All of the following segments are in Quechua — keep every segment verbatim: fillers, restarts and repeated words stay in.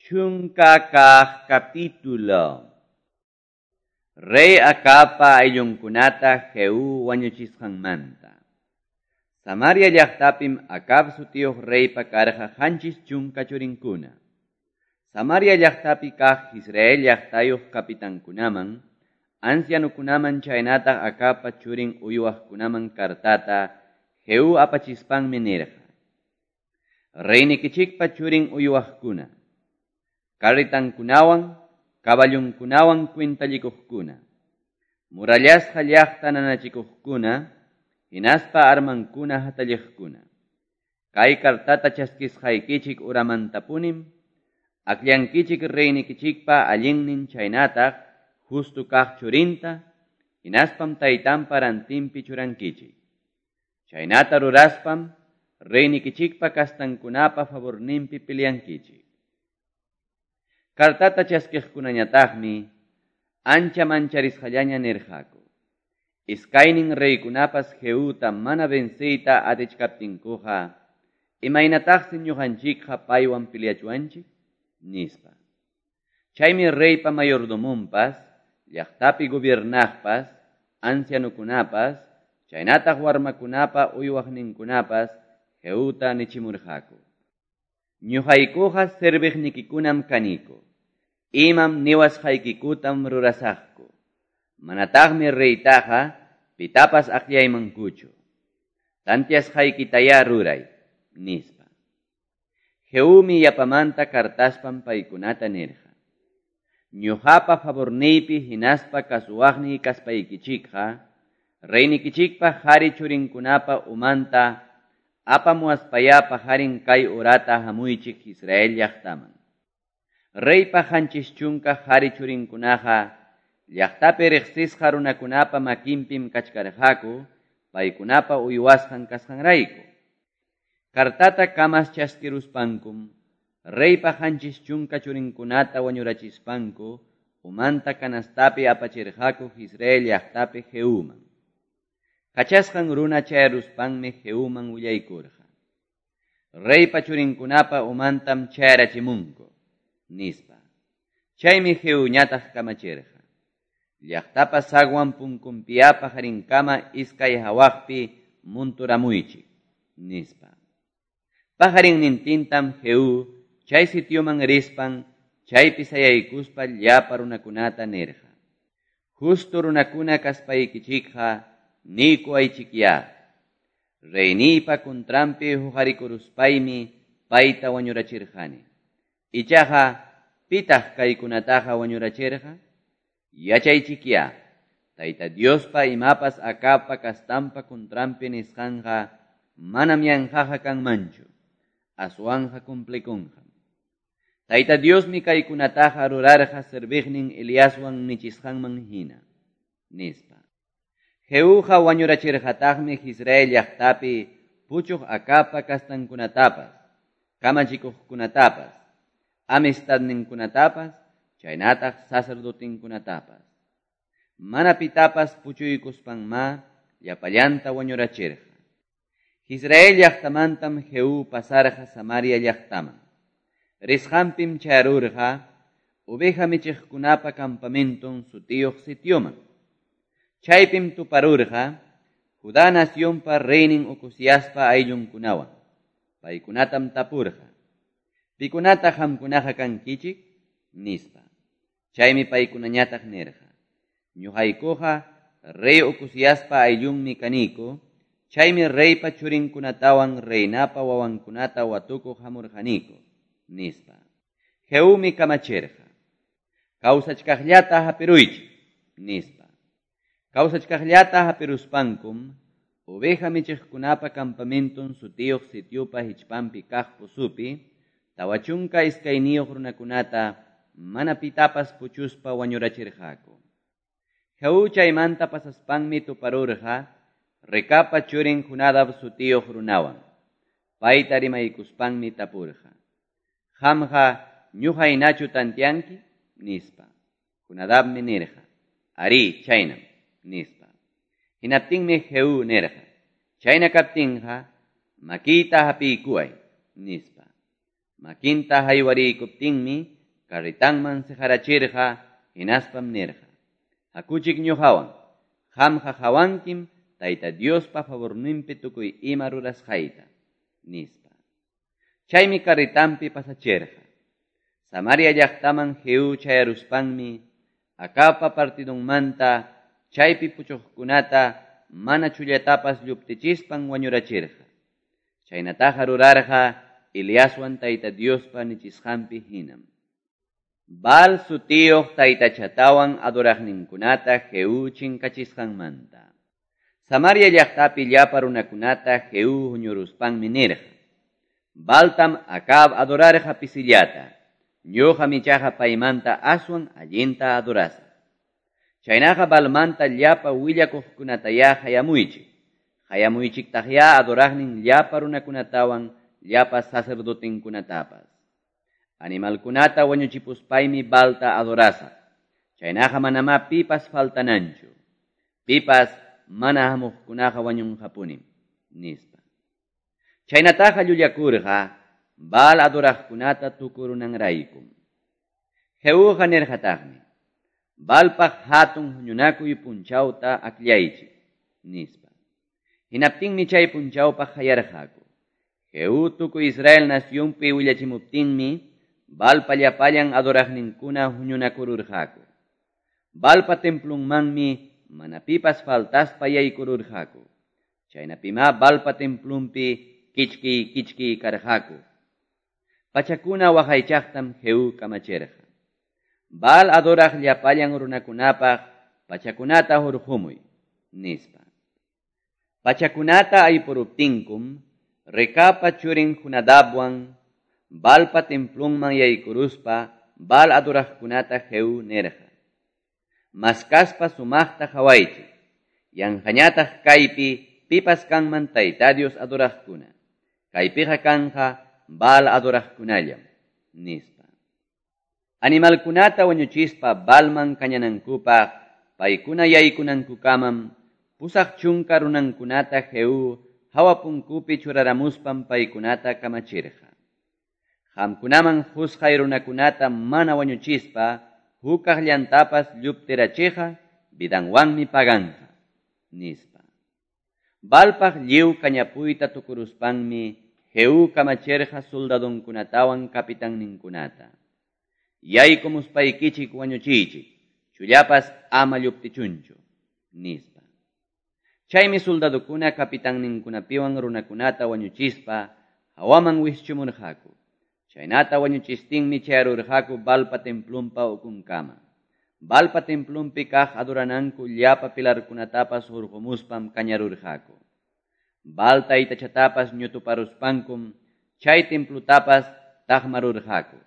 Chunka kaq capítulo. Rey Acabpa ayllunkunata Jehú wañuchisqanmanta. Samaria llaqtapim Acab sutiyuq reypa karqa qanchis chunka churinkuna. Samaria llaqtapi kaq Israel llaqtayuq kapitankunaman, ancianukunaman chaynataq Acabpa churin uywaqkunaman kartata Jehú apachispanmi nirqa: Reynikichikpa churin uywaqkuna, carritankunawan, caballunkunawan cuentallikuqkuna, murallasqa llaqta nanachikuqkuna, hinaspa armankuna hatalliqkuna. Kay kartata chaskisqaykichik uramantapunim, akllankichik reynikichikpa allinnin chaynataq justo kaq churinta, hinaspam taytanpa rantinpi churankichik. Chaynata ruraspam reynikichikpa kastankunapa favorninpi peleankichik. Kartata chaskiqkunañataqmi ancha mancharisqallaña nirqaku. Iskaynin reykunapas Jehuta mana venceyta atichkaptinkuqa, imaynataqsi ñuqanchikqa paywan peleachuanchik, nispa. Chaymi reypa mayordomonpas, llaqtapi gobiernaqpas, ancianukunapas, chaynataq warmakunapa uywaqninkunapas Jehuta nichimurqaku: Ñuqaykuqa serviqnikikunam kaniku. Imam niwasqaykikutam rurasaqku. Manataqmi reytaqa pitapas akllaymankuchu. Tantiasqaykitayá ruray, nispa. Jehumi yapamanta kartaspan paykunata nirqa: Ñuqapa favorniypi hinaspa kasuwaqniy kaspaykichikqa, reynikichikpa qhari churinkunapa umanta apamuwaspayá pajarin kay urata hamuychik Israel llaqtaman. Reypa qanchis chunka qhari churinkunaqa llaqtapi riqsisqa runakunapa makinpim kachkarqaku, paykunapa uywasqan kasqanrayku. Kartata kamas chaskiruspankum, reypa qanchis chunka churinkunata wañurachispanku, umanta kanastapi apachirqaku Israel llaqtapi Jehuman. Kachasqan runa chayaruspanmi Jehuman willaykurqa: Reypa churinkunapa umantam chayarachimunku, nispa. Chaymi Jehuñataq kamachirqa: Llaqtapa sagwan punkunpiya pajarinkama iskay hawaqpi munturamuychik, nispa. Pajarinnintintam Jehú chay sitioman rispan, chaypi sayaykuspa llapa runakunata nirqa: Justo runakuna kaspaykichikqa niykuwaychikyá. Reyniypa kuntranpi huqarikuruspaymi payta wañurachirqani. Ichaqa pitaq kaykunataqa wañurachirqa? Yachaychikyá, Tayta Diospa imapas Acabpa kastanpa kuntranpi nisqanqa manam yanqaqa kanmanchu, aswanqa cumplikunqam. Tayta Diosmi kaykunataqa rurarqa serviqnin Eliaswan nichisqanman hina, nispa. Jehuqa wañurachirqataqmi Israel llaqtapi puchuq Acabpa kastankunatapas, kamachikuqkunatapas, amistadninkunatapas, chaynataq sacerdotinkunatapas. Mana pitapas puchuykuspanmá llapallanta wañurachirqa. Israel llaqtamantam Jehú pasarqa Samaria llaqtaman. Risqanpim chayarurqa oveja michiqkunapa campamenton sutiyuq sitioman. Chaypim tuparurqa Judá nacionpa reynin Ocoziaspa ayllunkunawan. Paykunatam tapurqa: Pikunata qamkunaqa kankichik? Nispa. Chaymi paykunañataq nirqa: Ñuqaykuqa rey Ocoziaspa ayllunmi kaniku, chaymi reypa churinkunatawan reinapa wawankunata watukuq hamurqaniku, nispa. Jehumi kamachirqa: Kawsachkaqllata hapiruychik, nispa. Kawsachkaqllata hapiruspankum, oveja michiqkunapa campamenton sutiyuq sitiopa hichpanpi kaq pusupi, tawa chunka iskayniyuq runakunata mana pitapas puchuspa wañurachirqaku. Jehú chaymanta pasaspanmi tuparurqa Recapa churin Jonadab sutiyuq runawan. Payta rimaykuspanmi tapurqa: Qamqa ñuqaynachu tantianki? Nispa. Jonadabmi nirqa: Arí, chaynam, nispa. Hinaptinmi Jehú nirqa: Chayna kaptinqa makiyta hapiykuway, nispa. Makinta haywariykuptinmi carretanman seqarachirqa, hinaspam nirqa: Hakuchik ñuqawan, qamqa qawankim Tayta Diospa favorninpi tukuy ima rurasqayta, nispa. Chaymi carretanpi pasachirqa. Samaria llaqtaman Jehú chayaruspanmi Acabpa partidunmanta chaypi puchuqkunata mana chullatapas lluptichispan wañurachirqa. Chaynataqa rurarqa Eliaswan Tayta Diospa nichisqanpi hinam. Baal sutiyuq taytachatawan adoraqninkunata Jehú chinkachisqanmanta. Samaria llaqtapi llapa runakunata Jehú huñuruspanmi nirqa: Baaltam Acab adorarqa pisillata, ñuqam ichaqa paymanta aswan allinta adorasaq. Chaynaqa Baalmanta llapa willakuqkunatayá qayamuychik. Qayamuychiktaqyá adoraqnin llapa runakunatawan llapa sacerdotenkunatapas. Animalkunata wañuchipuspaymi Baalta adorasaq. Chaynaqa manamá pipas faltananchu. Pipas mana hamuqkunaqa wañunqapunim, nispa. Chaynataqa llullakurqa Baal adoraqkunata tukurunanraykum. Jehuqa nirqataqmi: Baalpaq hatun huñunakuy punchawta akllaychik, nispa. Hinaptinmi chay punchawpaq qayarqaku. Jehú tukuy Israel nacionpi willachimuptinmi Baalpa llapallan adoraqninkuna huñunakururqaku. Baalpa templunmanmi mana pipas faltaspa yaykururqaku. Chaynapimá Baalpa templunpi kichki kichki karqaku. Pachakuna waqaychaqtam Jehú kamachirqa: Baal adoraq llapallan runakunapaq pachakunata hurqumuy, nispa. Pachakunata aypuruptinkum Recabpa churin Jonadabwan Baalpa templunman yaykuruspa Baal adoraqkunata Jehú nirqa: Maskaspa sumaqta qawaychik, yanqañataq kaypi pipas kanman Tayta Dios adoraqkuna. Kaypiqa kanqa Baal adoraqkunallam, nispa. Animalkunata wañuchispa Baalman kañanankupaq paykuna yaykunankukamam pusaq chunka runankunata Jehú hawa punkupi churaramuspam paykunata kamachirqa: Qamkunaman qusqay runakunata mana wañuchispa hukaq llantapas lluptirachiqa vidanwanmi paganqa, nispa. Baalpaq lliw kañapuyta tukuruspanmi Jehú kamachirqa soldadonkunatawan kapitanninkunata: Yaykumuspaykichik wañuchiychik, chullapas ama lluptichunchu, nispa. Chaymi soldadokuna kapitanninkunapiwan runakunata wañuchispa hawaman wischumurqaku. Chaynata wañuchistinmi chayarurqaku Baalpa templunpa ukunkama. Baalpa templunpi kaq adorananku llapa pilarkunatapas hurqumuspam kañarurqaku. Baal taytachatapas ñutuparuspankum chay templutapas taqmarurqaku.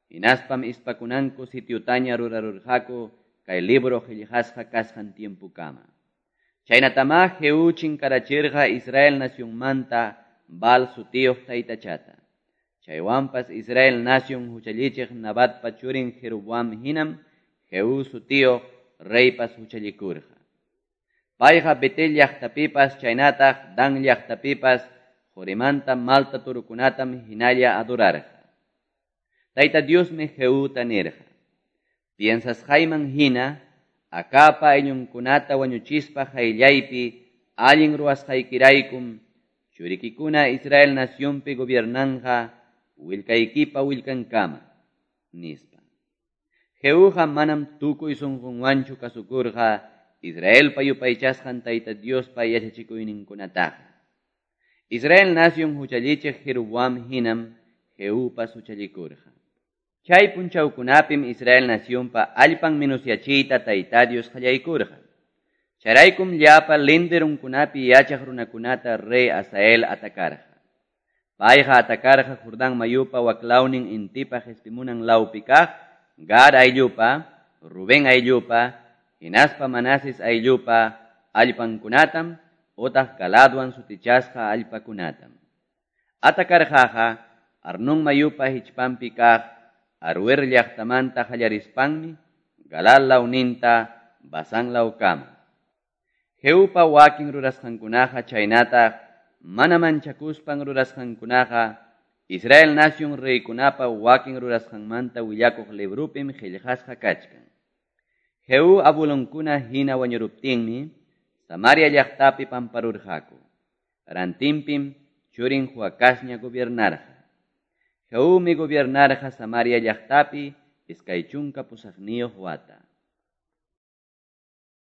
Hinaspam ispakunanku sitiutaña rurarurqaku kay libro qillqasqa kasqan tiempukama. Chaynatamá Jehú chinkarachirqa Israel nacionmanta Baal sutiyuq taytachata. Chaywanpas Israel nación huchallichiq Nabatpa churin Jeroboam hinam Jehú sutiyuq reypas huchallikurqa. Payqa Betel llaqtapipas chaynataq Dan llaqtapipas qorimanta malta turukunatam hinalla adorarqa. Tayta Diosmi Jehuta nirqa: Piensasqayman hina Acabpa ayllunkunata wañuchispa qayllaypi allin ruwasqaykiraykum churikikuna Israel nacionpi gobiernanqa willkaykipa willkankama, nispa. Jehuqa manam tukuy sunqunwanchu kasukurqa Israelpa yupaychasqan Tayta Diospa yachachikuyninkunataqa. Israel nación huchallichiq Jeroboam hinam Jehupas huchallikurqa. Chay punchawkunapim Israel nacionpa allpan menusyachiyta Tayta Dios qallaykurqa. Chayraykum llapa linderunkunapi yachaq runakunata rey Asael atakarqa. Payqa atakarqa Jordán mayupa waklawnin intipa qespimunan lawpi kaq Gad ayllupa, Rubén ayllupa, hinaspa Manases ayllupa allpankunatam otaq Galadwan sutichasqa allpakunatam. Atakarqaqa Arnón mayupa hichpanpi kaq Aroer llaqtamanta qallarispanmi Galal lawninta Basán lawkama. Jehupa wakin rurasqankunaqa chaynataq mana manchakuspan rurasqankunaqa Israel nacion reykunapa wakin rurasqanmanta willakuq libropim qellqasqa kachkan. Jehú abuelonkuna hina wañuruptinmi Samaria llaqtapi pamparurqaku. Rantinpim churin Joacazña gobiernarqa. Jehumi gobiernarqa Samaria llaqtapi iskay chunka pusaqniyuq wata.